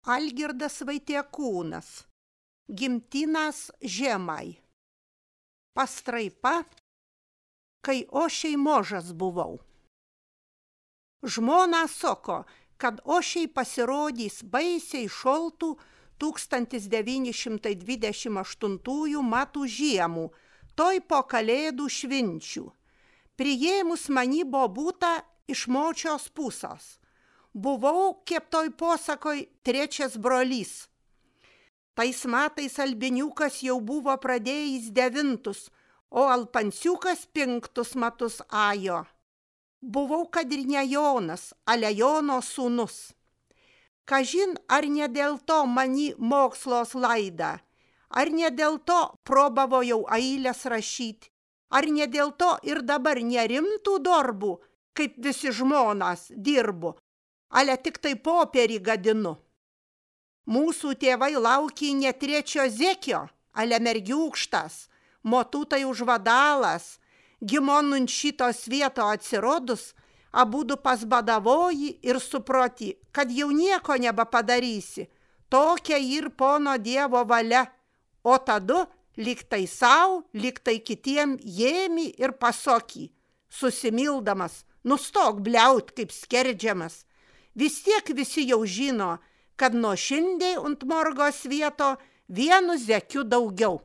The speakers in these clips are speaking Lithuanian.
Algirdas Vaitiekūnas. Gimtinas žemai. Pastraipa, kai ošiai mažas buvau. Žmona sako, kad ošiai pasirodys baisiai šaltų 1928 metų žiemų, toj po kalėdų švinčių. Priėmus mani bobutą iš močios pusės. Buvau, kaip toj posakoj, trečias brolys. Tais metais albiniukas jau buvo pradėjęs 9, o alpansiukas 5 metus ajo. Buvau kad ir ne Jonas, ale Jono sūnus. Kažin, ar ne dėl to mani mokslos laida, ar ne dėl to probavojau eilės rašyti, ar ne dėl to ir dabar nerimtų darbų, kaip visi žmonas dirbu, ale tik tai popierį gadinu. Mūsų tėvai laukė ne trečio zekio, ale mergiūkštas, motutai užvadalas, gimonun šitos vieto atsirodus, abudu pasbadavoji ir suproti, kad jau nieko nebepadarysi, tokia ir pono Dievo valia, o tada liktai sau, liktai kitiem jėmi ir pasoky, susimildamas, nustok bliaut kaip skerdžiamas. Vis tiek visi jau žino, kad nuo šiandien ant morgos vieto vienu zekiu daugiau.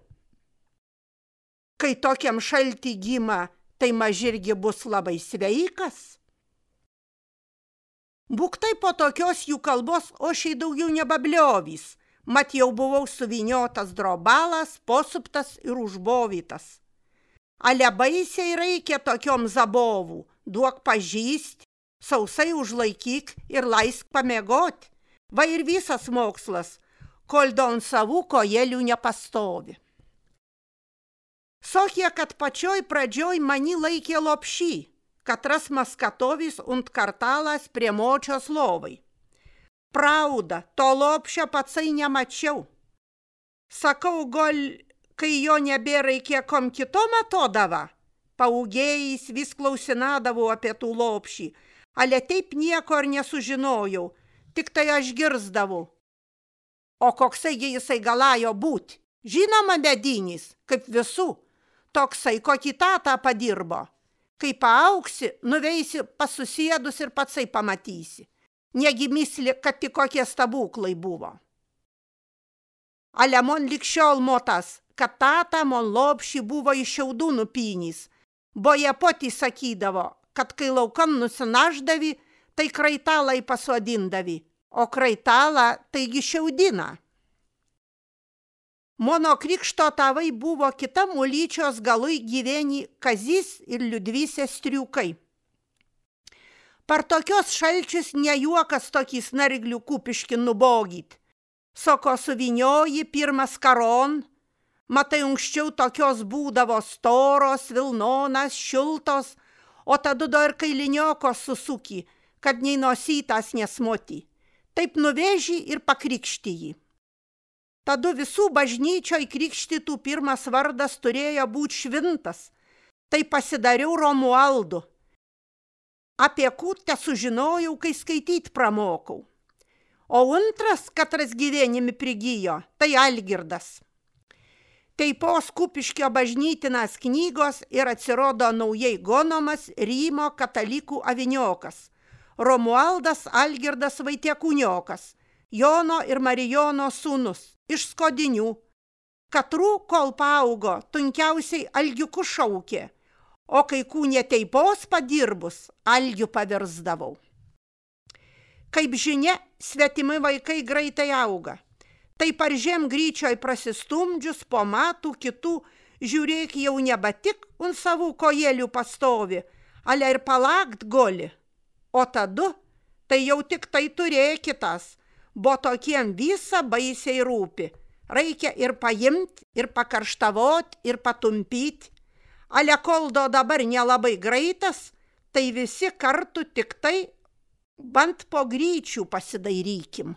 Kai tokiam šaltį gima, tai mažirgi bus labai sveikas. Būktai po tokios jų kalbos ošiai daugiau nebabliovys, mat jau buvau suviniotas drobalas, posuptas ir užbovytas. Ale baisiai reikia tokiom zabovų, duok pažįst, sausai užlaikyk ir laisk pamiegot. Va ir visas mokslas, kol don savų kojelių nepastovi. Sokie, kad pačioj pradžioj mani laikė lopšį, katras maskatovis und kartalas prie močios lovai. Prauda, to lopšio patsai nemačiau. Sakau, gal, kai jo nebėra kiekom kitom atodava, paugėjais vis klausinadavau apie tų lopšį, ale taip nieko ir nesužinojau, tik tai aš girsdavau. O koksai jisai galėjo būt? Žinoma, medinis, kaip visų. Toksai, kokį tatą padirbo. Kai paaugsi, nuveisi pasusėdus ir patsai pamatysi. Negi misli, kad tik kokie stabuklai buvo. Ale mon likščiol motas, kad tata mon lopšį buvo iš šiaudų nupynys. Boje poti sakydavo, kad kai laukan nusinaždavi, tai kraitalai pasodindavi, o kraitalą taigi šiaudina. Mono krikšto tavai buvo kita mulyčios galui gyveni Kazys ir Liudvysė striukai. Par tokios šalčius nejuokas tokį snarglių kupiški nubogyt. Soko suvinioji pirmas karon, matai anksčiau tokios būdavo storos, vilnonas, šiltos, o tada dar kailiniokos susuki, kad nei nosytas nesmoti. Taip nuveži ir pakrikšti jį. Tada visų bažnyčioj krikštytų pirmas vardas turėjo būti švintas. Tai pasidariau Romualdu. Apie kūtę sužinojau, kai skaityt pramokau. O antras, katras gyvenimi prigijo, tai Algirdas. Teipos Kupiškio bažnytinas knygos ir atsirodo naujai gonomas Rymo katalikų aviniokas. Romualdas Algirdas Vaitiekūniokas, Jono ir Marijono sūnus, iš Skodinių. Katrų, kol paaugo, tunkiausiai Algiuku šaukė, o kai kūnė teipos padirbus, Algiu pavirsdavau. Kaip žinia, svetimi vaikai greitai auga. Tai par žemgryčioj prasistumdžius po metų kitų, žiūrėk jau neba tik ant savų kojelių pastovi, ale ir palakt goli. O tada, tai jau tik tai turėkitas, bo tokiem visa baisiai rūpi. Reikia ir paimt, ir pakarštavot, ir patumpyt. Ale koldo dabar nelabai greitas, tai visi kartu tik tai bent po gryčių pasidairykim.